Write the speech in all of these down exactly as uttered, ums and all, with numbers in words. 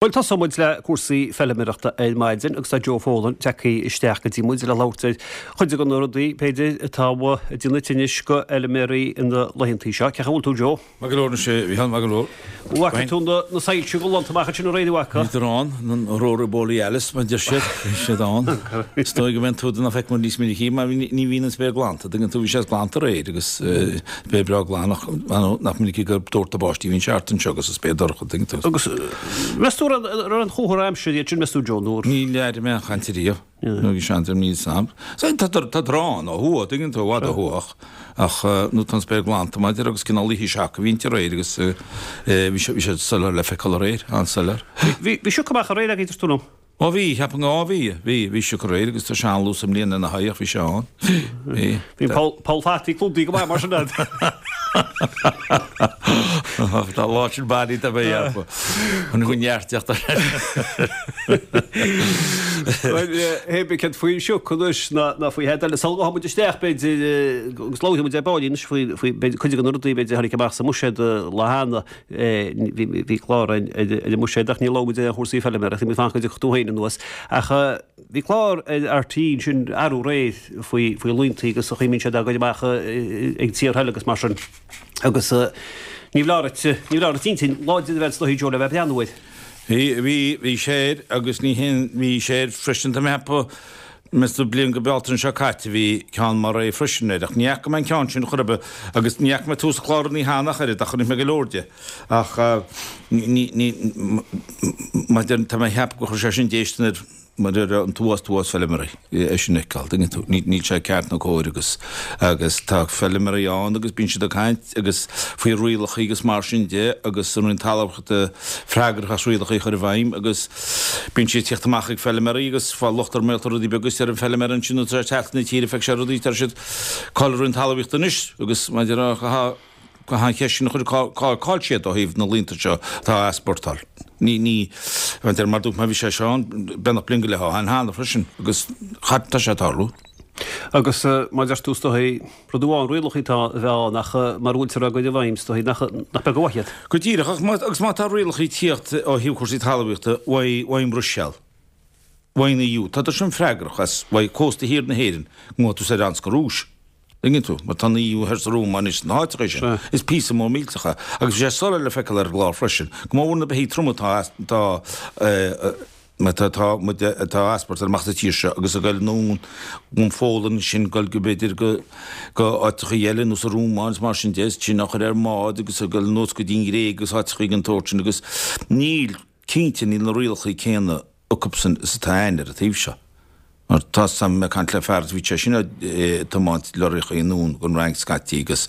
Bhuel, tosóidh muid le cúrsaí feilméarachta ar maidin agus tá Joe Folan tagtha isteach go dtí muid le labhairt ar chuid de na rudaí, b'fhéidir, atá ag déanamh tinnis go fheilméaraí ina laethantaí seo. Cén chaoi a bhfuil tú, Joe? Maith go leor anois, a Mhícheáil, maith go leor. Bhfaca tú na soilse glanta amach ansin aréir, an bhfaca? Bhíodar ann, an Aurora Borealis, mar a deir siad, bhí siad ann. Is dóigh go mbeidh tú nach bhfeiceann muid níos minicí mar ní bhíonn an spéir glanta, tuigeann tú, bhí sé glanta aréir agus spéir breá glan ach nach minic gur doirteadh báistí, bhíonn sé thart anseo agus an spéir dorcha, tuigeann tú. Agus meas tú an raibh an chomhartha aimsire iad sin, meas tú, Joe, nó? Níl aire mé aon chaint ariamh. Nó bhí seans ar níl sam. Tá tá drán ó thuaidh, tuigeann tú, i bhfad ó thuaidh ach ach nó tá an spéir glanta maidir agus cineál oíche seaca a bhí inti aréir agus bhí sé bhí sé soiléir le feiceáil aréir, an-soiléir. Bhí bhí sioc amach aréir agaibh, dúirt tú liom. Ó bhí, cheapfainn, á bhí, bhí, bhí sioc aréir agus tá sé an-luas i mbliana ina haghaidh ach bhí sé ann. Bhí. Bhí poll, poll fataí clúdaithe go maith mar sin agat. Tá lá sin bailí tá mé a cheapadh. An chun neart teacht ar. Bhuel, hé bí céard faoin sioc anois ná, ná faoi thead eile. Sula ngabhfaidh muid isteach b'fhéidir agus labhróidh muid ar ball anois faoi, faoi b'fhéidir cuid de na rudaí b'fhéidir a tháinig amach sa mbuiséad lá cheana. Bhí clár ar an mbuiséad ach níor labhair muid ar chúrsaí feilméarachta, bhí muid ag fanacht go dtiocfadh tú féin anuas. Ach bhí clár ar RTÉ ansin arú aréir faoi faoi laontaí agus an chaoi a mbíonn siad á gcur amach ag tíortha eile agus mar sin. Agus ní foláir duit, ní foláir duit intinn láidir a bheith agat is dóichí Joe le bheith ag breathnú air. Bhí, bhí, bhí sé air agus ní haon, bhí sé air freisin tá mé ag ceapadh, Meas tú bliain go Bealtaine seo caite bhí ceann mar é freisin air ach ní fhaca mé an ceann sin chor ar bith agus ní fhaca mé tús an chláir ní cheana ach oiread ach chonaic mé go leor de ach ní ní maidir tá mé ag ceapadh gur chuir sé sin déistin ar mar ar an t-uas t-uas feilméaraí é sin a fheiceáil tuigeann tú ní níl sé ceart nó cóir agus agus tá feilméaraí ann agus bíonn siad ag caint agus faoi rialacha agus mar sin de agus an Roinn Talmhaíochta freagrach as rialacha a chur i bhfeidhm agus Bíonn siad ag tíocht amach ag feilméaraí agus fáil locht ar mhaolta rudaí beaga is deir an feilméara ansin nuair atá sé ag teacht na tíre feicfidh sé rudaí deir siad cá'il an Roinn Talmhaíochta anois agus maidir le cá an cheist sin a chur cá cá'il siad ó thaobh na laonta seo atá á easpórtáil. Ní ní maidir mar dúirt mé bhí sé seo ann beagnach bliain go leith ó shin cheana freisin agus cha tá sé ag tarlú. Agus mar a deir tú is dóichí, rud amháin rialacha atá a bheith ann ach mara bhfuiltear á gcur i bhfeidhm is dóichí nach nach beag an mhaith iad. Go díreach, ach má, agus má tá rialacha ag tíocht ó thaobh cúrsaí talmhaíochta uaidh, uaidh an mBruiséil, uaidh an EU, tá siad sin freagrach as, uaidh cósta thiar na hÉireann, go ngabhfaidh tú soir anns go Rúis. Tuigeann tú, mar tá an EU thoir sa Rómáin anois sna háiteacha sin. Is píosa mór millteach é. Agus bhí sé soiléir le feiceáil ar an gclár freisin, go mór mhór na beithígh troma atá, atá, Má tá tá muid atá á easpórtáil amach as an tír seo agus ag goil anonn ón Pholainn sin goil go b'fhéidir go go áiteachaí eile nó sa Rómáin is mar sin de sin á chur ar mbád agus ag goil anuas go dtí an Ghréig agus áiteachaí den tsórt sin agus níl cinnte níl na rialachaí céanna acubsan is atá a'ainn ar an taobh seo. Mar tá 's a'm, ag caint le fear is bhí sé sin ag tiomáint lorraíochaí anonn gon Fhrainc scaití agus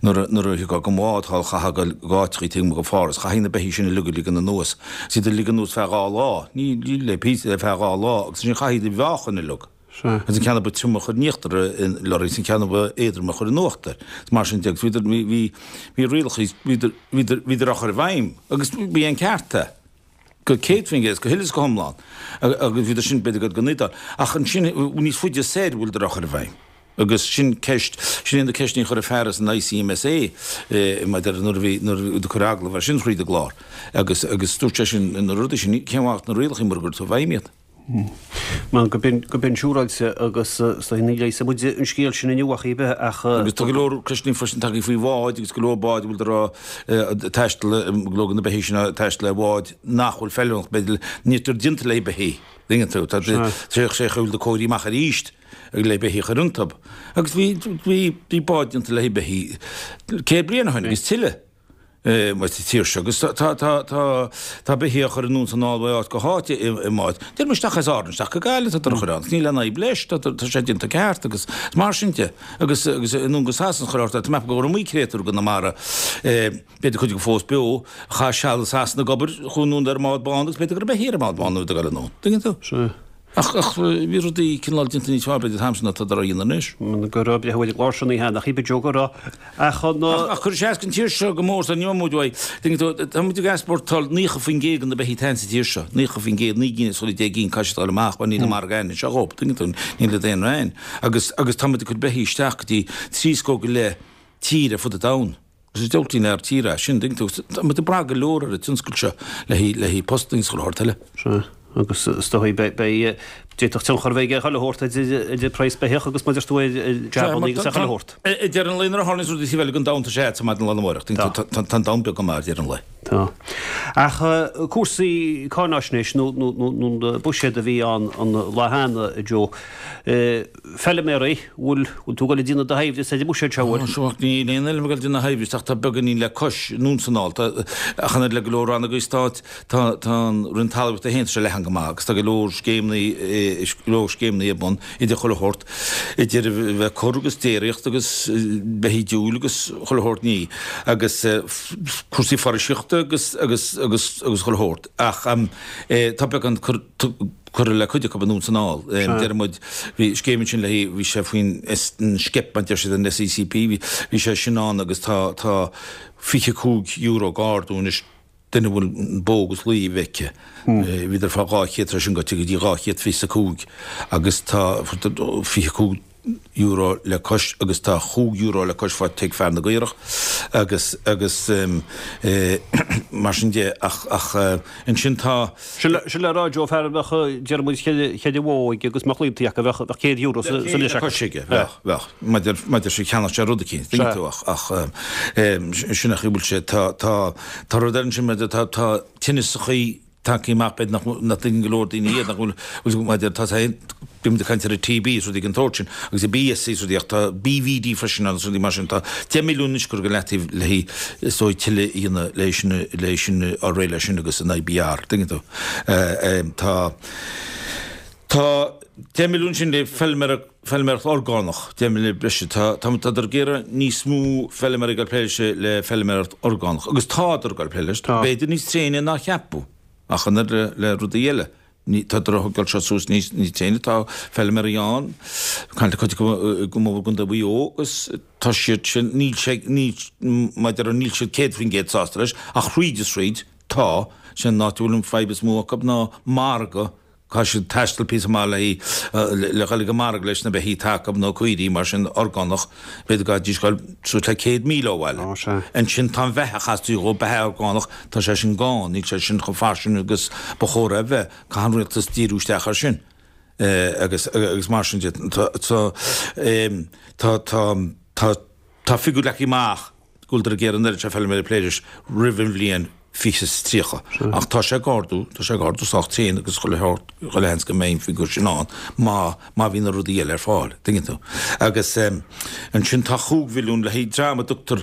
nuair a nuair a thiocfá gon bhád thall chaithfeá goil go áiteachaí taobh amuigh go Pháras, chaithfí na beithígh sin uilig a ligean anuas is iad a ligean anuas feadh dhá lá, ní ní le píosa le feadh dhá lá agus ansin chaithfí iad a mheáchan uilig. Agus an ceann a ba troime a chur in íochtar an lorraí is an ceann a ba éadroime a chur in uachtar. Is mar sin de agus bhíodar bhí bhí bhí rialachaí bhíodar bhíodar bhíodar á chur i bhfeidhm agus bhí an ceart é. go céad faoin gcéad, go huile is go hiomlán, agus bhíodar sin b'fhéidir go don Iodáil. Ach ansin níos faide soir bhfuileadar á chur i bhfeidhm. Agus sin ceist, sin é na ceisteanna a chuir an fear as an ICMSA maidir nuair a bhí, nuair a cuireadh agallamh air sin thríd an gclár. Agus, agus dúirt sé sin na rudaí sin, cén mhaith na rialacha mura gcuirtear i bhfeidhm iad? Mar go binn, go binn siúráilte agus is dóigh ní leigheasfaidh muid an scéal sin inniu ach ar bith ach. Agus tá go leor ceisteanna freisin tagtha faoi bháid agus go leor báid a bhfuil ag taisteal, go leor de na beithígh sin ag taisteal ar bháid nach bhfuil feiliúnach, b'fhéidir, níltear déanta le beithígh, tuigeann tú, tá sé sé chuile cóirithe amach arís le beithígh a chur iontu. Agus bhí, bhí, bhí báid déanta le beithígh céad bliain ó shin agus tuilleadh. sa tír seo agus tá tá tá tá beithígh á chur anonn is anall ó áit go háit i i mbáid. Déarfaidh isteach as Árainn isteach go Gaillimh tá á chur ann. Níl aon fhadhb leis tá tá sé déanta ceart agus mar sin de agus agus anonn go Sasana chur ort tá mé gur iomaí créatúr go na mara b'fhéidir cuid acu fós beo a chaith seal i Sasana ag obair chuaigh anonn ar an mbád bán agus b'fhéidir go raibh beithígh ar an mbád bán nuair a bhí ag dul anonn. Tuigeann tú? Sea. Ach, ach bhí rudaí cineál déanta níos fearr b'fhéidir an t-am sin ná atá á dhéanamh anois. Go raibh breithiúil ag lár sin oíche nach í Joe go raibh ach an. Ach, ach cuireann sé as don tír seo go mór so ní raibh muid uaidh. Tuigeann tú, tá muid ag easpórtáil naocha faoin gcéad de na beithígh atá sa tír seo, naocha faoin gcéad, naoi gcinn is chuile deich gcinn caithfidh siad a dhul amach mar níl an margadh a'ainn anseo dhób, tuigeann tú, níl iad aon roinn. Agus, agus tá muid ag cur beithígh isteach go dtí trí scór go leith tír ar fud an domhain. Agus is diabhaltaí an tír é sin, tuigeann tú, tá muid ag brath go leor ar an tionscal seo le haghaidh le haghaidh postanna agus chuile shórt eile. Sea, agus is dóigh beidh beidh d'fhéadfadh tionchar a bheith aige chuile shórt idir idir praghas beithíoch agus mar a deir tú ar jabanna agus ar chuile shórt. Ag deireadh an lae nuair a tharlaíonns rudaí taobh eile den domhan tá sé a'd maidin lá na mháireach, tuigeann tú, tá an domhan beag go maith ar deireadh an lae. Tá. Ach cúrsaí cáináisnéis nó nó nó nó buiséad a bhí ann an lá cheana, a Joe. Feilméaraí, bhfuil bhfuil tú ag dul ag déanamh do thoimhdeas ar an mbuiséad seo, bhfuil? Seo, níl aon fheilm ag dul ag déanamh thoimhdeas ach tá beagáinín le cois anonn is anall. Tá, ach an oiread le go leor rannogaí stáit, tá tá an Roinn Talmhaíochta féin, tá sé leathan go maith agus tá go leor scéimeanna, go leor scéimeanna ar bun idir chuile shórt, idir a bheith ag cur agus déiríocht agus beithígh diúil agus chuile shórt ní agus cúrsaí foraoiseachta agus agus agus agus chuile shórt. Ach tá beagán curtha le cuid acu anonn is anall. Deir muid, bhí scéim ansin le haghaidh, bhí sé faoin SCEP, mar deir siad, an SECP, bhí sé sin ann agus tá tá fiche cúig euro ag ardú anois duine a bhfuil bó agus lao a bheith aici. Bhíodar fá dhá chéad, tá sin gaibhte go dtí dhá chéad fiche is a cúig agus tá fiche cúig euro le cois agus tá chúig euro le cois faighte ag fear na gcaorach agus agus mar sin de ach ach ansin tá. Sin le rá Joe fear a bheadh deir muid cheithre bhó aige agus mbeadh laontaí acu bheadh bheadh céad euro sa sa Le cois aige bheadh bheadh maidir maidir sé cheannach sé rud eicínt tuigeann tú ach ach sin a chaoi bhfuil sé tá tá tá rud eile ansin maidir tá tá tinneasachaí tagtha amach b'fhéidir nach nach dtuigeann go leor daoine iad nach bhfuil bhfuil maidir tá sé bíonn muid ag caint ar an TB is rudaí den tsórt sin agus an BSE is rudaí ach tá BVD freisin ann is rudaí mar sin tá deich milliún anois curtha go leataobh le haghaidh is dóigh tuilleadh a dhéanamh le sin le sin á réidh leis sin agus an IBR tuigeann tú tá tá deich milliún sin le feilméara feilméaracht orgánach deich milliún breise tá tá tádar ag iarraidh níos mó feilméaraí ag dul plé leis le feilméaracht orgánach agus tádar ag dul plé leis b'fhéidir níos tréine ná ceapadh Ach an oiread le rudaí eile, ní, tádar a thógáil seo suas níos, níos tréine, tá feilméaraí ann, caint le cuid acu i gContae Mhaigh Eo agus tá siad sin, níl sé, níl, maidir níl siad céad faoin gcéad sásta leis, ach thríd is thríd, tá, sé an áit a bhfuil an fadhb is mó acu ná margadh Caithfidh siad taisteal píosa maith le le dhul ag an margadh leis na beithígh atá acu nó caoirigh mar sin orgánach, b'fhéidir go gcaithfidís dhul suas le céad míle ó bhaile. Ansin tá an bheatha a chastaí dhó, beatha orgánach, tá sé sin gann, níl sé sin chomh fairsing agus ba chóir é a bheith, caithfidh an rialtas díriú isteach air sin agus agus mar sin de. Tá tá tá tá tá figiúr leagtha amach go bhfuiltear ag iarraidh an oiread seo feilméaraí plé leis roimh an bhliain fiche is tríocha. Ach tá sé ag ardú, tá sé ag ardú sách tréan agus chuile shórt, chuile sheans go mbeidh an figiúr sin ann má, má bhíonn na rudaí eile ar fáil, tuigeann tú. Agus ansin tá chúig mhilliún le haghaidh dream a dtugtar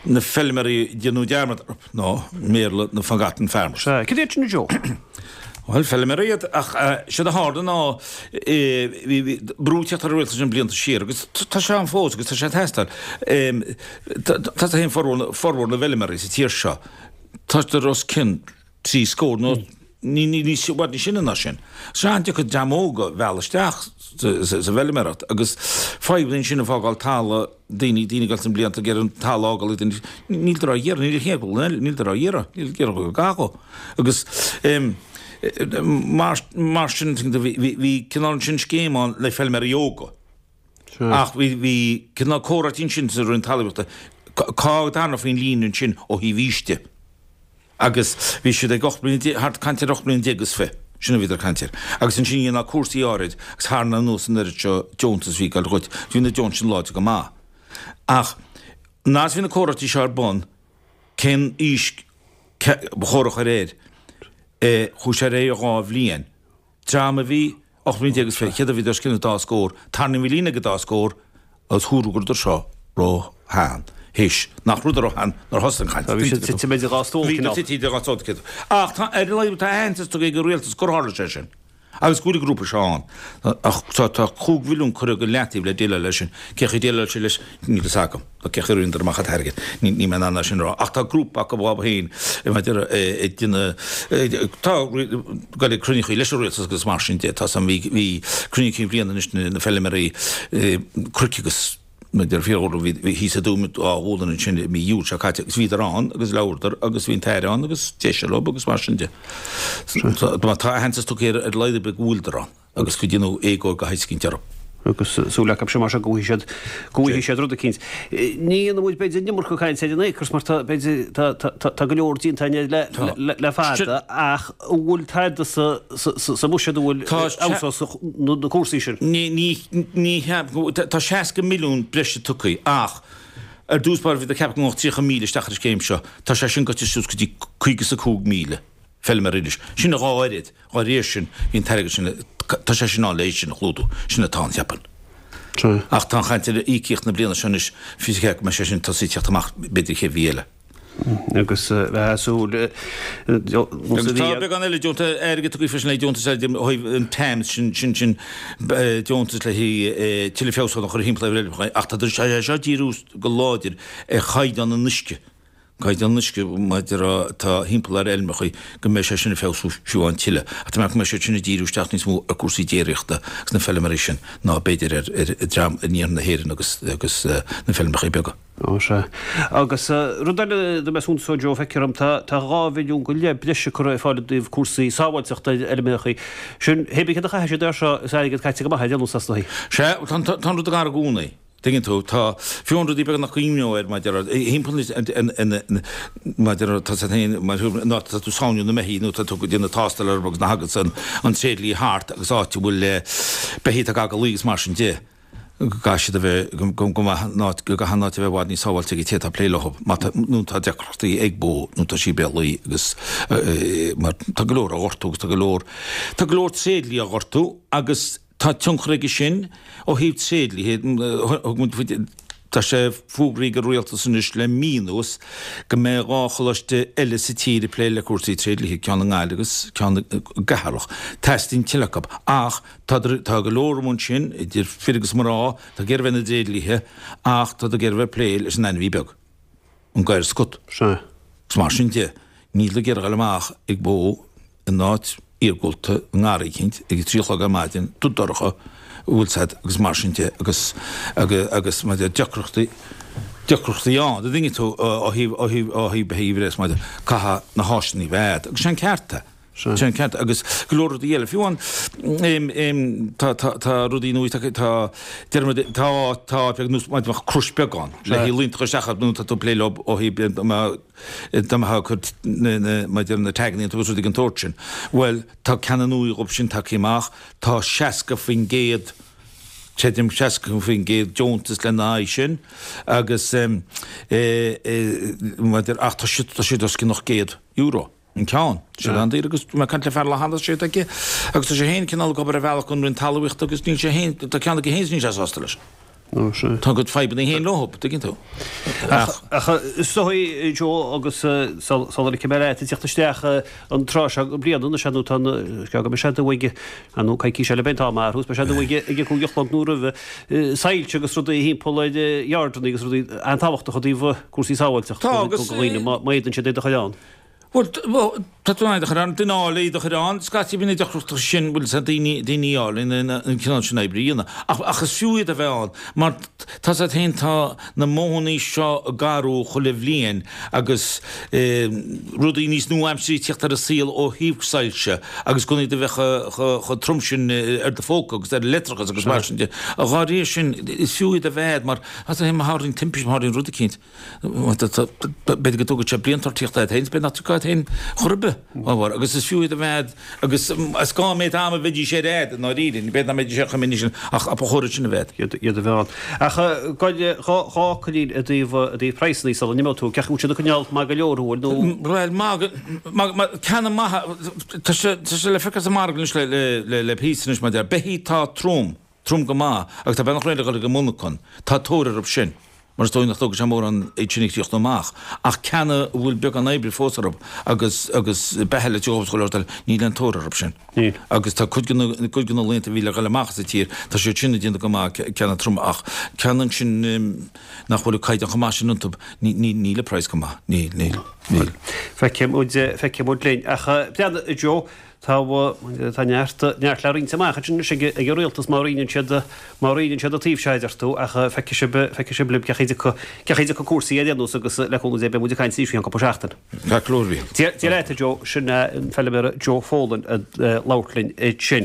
na feilméaraí a déanadh dearmad orthu, nó i mBéarla na forgotten farmers. Sea, cad iad sin a Joe? Bhuel, feilméaraí iad, ach séard a tharla ná bhí brú ag teacht ar an rialtas sin blianta siar agus tá sé ann fós agus tá sé ag teastáil. Tá a fhios formhór na bhfeilméaraí sa tír seo, Táthar os cionn trí scór nó ní i bhfad níos sine ná sin. Is an-deacair dream óg a mhealladh isteach sa bhfeilméaracht agus fadhb ansin ag fágáil talamh, daoine, daoine ag dul sna blianta ag iarraidh an talamh a fhágáil ag daoine, níltear á iarraidh, níl a chéad, níltear á iarraidh, níl ag iarraidh go gcaithfeadh. Agus mar, mar sin, bhí cineál ansin scéim ann le feilméaraí óga. Ach bhí, bhí cineál comhráití ansin sa Roinn Talmhaíochta, cá dtarraingeofaí an líne ansin ó thaobh aois de. Agus bhí siad ag ocht mbliana déag, thart, caint ar ocht mbliana déag is fiche, sin a bhíodar ag caint air. Agus ansin dhéanfá cúrsaí áirid agus tharraingeofá anuas an oiread seo deontas a bhí ag dul dhuit. Bhí na deontais sin láidir go maith. Ach nuair a bhí na comhráití seo ar bun, cén aois ba chóir a chur air, chuaigh sé ar aghaidh dhá bhliain. Dream a bhí ocht mbliana déag is fiche, céard a bhíodar os cionn an dá scór, tarraingíodh an líne ag an dá scór agus dúradh go rabhadar seo ró-shean, théis nach rabhadar ró-shean nuair a thosaigh an chaint. Bhí siad tite idir dhá stól, cineál. Bhí tite idir dhá stól, cineál. Ach tá, ar a laghad, tá aitheantas tugtha ag an rialtas gur tharla sé sin agus go bhfuil an grúpa seo ann. Ach tá, tá cúig mhilliún curtha go leataobh le déileáil leis sin. Cén chaoi a déileáil siad leis, níl fhios agam. Nó cén chaoi a rinneadar amach an t-airgead, níl mé in ann é sin a rá. Ach tá grúpa acu dhóibh féin maidir ag déanamh, tá ag dul ag cruinniúchaí leis an rialtas agus mar sin de. Tá san, bhí, bhí cruinniú cinn bhliana anois na feilméaraí cnoic agus maidir fiadhúlra, bhí, bhí thíos i dTuaim Dhá Ghualainn ansin i mí Iúil seo caite agus bhíodar ann agus labhradar agus bhí an tAire ann agus d'éist sé leo agus mar sin de. Tá aitheantas tugtha ar a laghad ar bith go bhfuileadar ann. agus go ndéanadh éagóir de shaghas eicínt orthu. Agus súil acu sin mar seo go bhfaighidh siad go bhfaighidh siad rud eicínt. Ní dhéanfaidh muid b'fhéidir an iomarca cainte ar an Acres mar tá b'fhéidir tá tá tá tá go leor déanta againn le le le fada ach an bhfuil tada sa sa sa sa mbuiséad a bhfuil fheabhsós na na cúrsaí sin? Ní ní ní cheapaim tá seasca milliún breise tugtha ach ar dtús báire bhíodar ag ceapadh go ngabhfadh tríocha míle isteach ar an scéim seo. Tá sé sin goite suas go dtí caoga is a cúig míle. Feilméara anois. Sin a dhá oiread, dhá réir sin, bhí an t-airgead sin, tá sé sin ann le sin a chlúdú, sin atá ann, cheapfainn. Ach tá an chaint ar íocaíocht na bliana seo anois, fiú go mbeidh sé sin tosaí teacht amach b'fhéidir chéad mhí eile. Agus bheith súil Agus tá beagán eile deontas airgead tugtha freisin le deontas eile ó thaobh an TAMS sin sin sin deontas le haghaidh tuilleadh feabhsúchán a chur thimpeall ar fheirmeacha ach tá sé seo ag díriú go láidir ar chaighdeán an uisce. Caighdeán an uisce maidir atá thimpeall ar fheilmeacha go mbeidh sé sin ag feabhsú fiú amháin tuilleadh. Ach tá mé go mbeidh siad sin ag díriú isteach níos mó ar cúrsaí déiríochta agus na feilméaraí sin ná b'fhéidir ar ar dream in iarthar na hÉireann agus agus na feilmeacha beaga. Ó sea. Agus rud eile do mbeidh suntas Joe feictear dom tá tá dhá mhilliún go leith breise curtha ar fáil i dtaobh cúrsaí sábháilteachta ar fheilmeacha. Sin hé bí céard a chaithfidh siad air seo is airgead caite go maith ar aon nós as na. Sea, tá an rud ag athrú i gcónaí. Tuigeann tú, tá, fiú an rudaí beaga nach gcuimhneofá air maidir le, thimpeall maidir le, tá siad féin, mar ná tá tú sáinniú na mbeithígh nó tá tú ag déanamh tástáil orthu agus na thagann an, an tréidlia thart agus áit a bhfuil beithígh atá ag luí agus mar sin de, go gcaithfidh siad a bheith, go, go, go mbeadh an áit, go gcaithfidh an áit a bheith i bhfad níos sábháilte ag an té atá ag plé leo má tá, nó tá deacrachtaí ag bó nó tá sí béal luí agus mar tá go leor á ghortú agus tá go leor, tá go leor tréidlia á ghortú agus Tá tionchar aige sin ó thaobh tréidliaithe. Thug muid faoi Tá sé fógraithe ag an Rialtas anois le mí anuas go mbeidh dhá choláiste eile sa tír ag plé le cúrsaí tréidliaithe, ceann i nGaillimh agus ceann i gCeatharlach. Teastaíonn tuilleadh acu. Ach tá tá go leor amuigh ansin, idir fir agus mná, atá ag iarraidh a bheith ina dtréidliaithe ach tá ag iarraidh a bheith ag plé leis an ainmhí beag, an gadhar scut. Sea. Agus mar sin de, níl ag iarraidh a ghoil amach ag bó in áit iargúlta i ngarraí eicínt ag a trí a chlog ar maidin, dubh dorcha, bhfuil 's a'd, agus mar sin de, agus, agus, agus mar deacrachtaí, deacrachtaí ann, an dtuigeann tú, ó thaobh, ó thaobh, ó thaobh beithígh a bhreith, mar caithfidh na háiseanna a bheith a'd, agus sé an ceart é. Sé an ceart, agus go leor rudaí eile, fiú amháin, em, em, tá, tá, tá rudaí nua, tá, tá, deir muid, tá, tá áit beag nós, mar bheadh crois beag ann, le haghaidh líontach isteach nó tá tú ag plé leo ó thaobh, dá mbeifeá ag cur maidir na taganna iontu agus rudaí den tsórt sin. Bhuel, tá ceanna nua dhóibh sin tagtha amach, tá seasca faoin gcéad, creidim, seasca faoin gcéad deontas lena aghaidh sin agus maidir, ach tá siad, tá siad os cionn ocht gcéad euro an ceann. Sin an-daor agus bhí mé ag caint le fear lá cheana, sé aige agus tá sé féin cineál ag obair ar bhealach don Roinn Talmhaíochta agus níl sé féin, tá ceann aige féin is níl sé sásta leis. Tá a gcuid fadhbanna féin leo, tuigeann tú. Ach is dóigh, Joe, agus sula ligfidh mé leat ag teacht isteach an tráth seo den bhliain anois, nó tá an, go mbeidh sé dubh ag, nó coicís eile beidh an t-am athrú, beidh sé dubh ag ag a cúig a chlog nó roimhe, soilse agus rudaí thimpeall ar yardanna agus rudaí an-tábhachtach i dtaobh cúrsaí sábháilteachta do dhaoine, má fhéadann siad iad a chur ann. Bhuel, tá tú in ann iad a chur ann, duine a fháil iad a chur ann, scaití bíonn na deacrachtaí sin, bhfuil 's a'd, daoine, daoine a fháil in an cineál sin oibre a dhéanamh. Ach, ach is fiú iad a bheith ann, mar tá 's a'd féin, tá na modhannaí seo ag athrú chuile bhliain agus rudaí níos nua-aimseartha ag tíocht ar an saol ó thaobh soilse agus gan iad a bheith chomh trom sin ar do phóca agus ar an leictreachas agus mar sin de. Dá réir sin, is fiú iad a bheith ann mar, tá 's a'd féin, má tharlaíonn timpiste, má tharlaíonn rud eicínt, B'fhéidir go dtógfaidh sé blianta ort tíocht ort féin, b'fhéidir nach dtiocfá ort féin chor ar bith, ábhar, agus is fiú iad a bheith a'd, agus is gá an méid ama a bheidís ar a'd, i ndáiríre, ní b'fhéidir nach mbeidís ar chomh minic sin, ach ba chóir iad sin a bheith a'd. Iad a bheith ann. Ach gabh dhá fhocailín i dtaobh, i dtaobh praghsanna sula n-imeoidh tú, cén chaoi a bhfuil siad ag coinneáil maith go leor, an bhfuil, nó. Bhuel, maith, maith, maith, ceanna maithe, tá sé, tá sé le feiceáil sa mhargadh anois le, le, le, le píosa anois, mar a déarfá, beithígh atá trom, trom go maith, agus tá beagnach réidh le dhul ag an monarchan, tá tóir orthu sin. mar is dóigh nach dtógfaidh sé mórán iad sin a chríochnú amach, ach ceanna a bhfuil beagán oibre fós orthu agus agus beatha le tabhairt dhóibh is chuile shórt eile, níl aon tóir orthu sin. Níl. Agus tá cuid de na cuid de na laonta a bhí le dhul amach as an tír, tá siad sin ag déanamh go maith, ceanna troma, ach ceanna ansin nach bhfuil an caighdeán chomh maith sin iontu, ní ní níl an praghas go maith, níl, níl, níl. Feicfidh muid, feicfidh muid linn. Ach breathnaigh, a Joe, Tá, tá neart, neart le roinnt amach ansin anois ag, ag an rialtas má roinneann siad, má roinneann siad an taobh seo a deir tú ach feicfidh sibh, feicfidh sibh libh cén chaoi a dtiocfaidh, cén chaoi a dtiocfaidh cúrsaí ar aon nós agus le cúnamh Dé beidh muid ag caint arís faoi cheann cúpla seachtain. Ceart go leor, a Mhíchíl. Dia, Dia leat a Joe, sin é an feilméara Joe Folan ag labhairt linn ansin.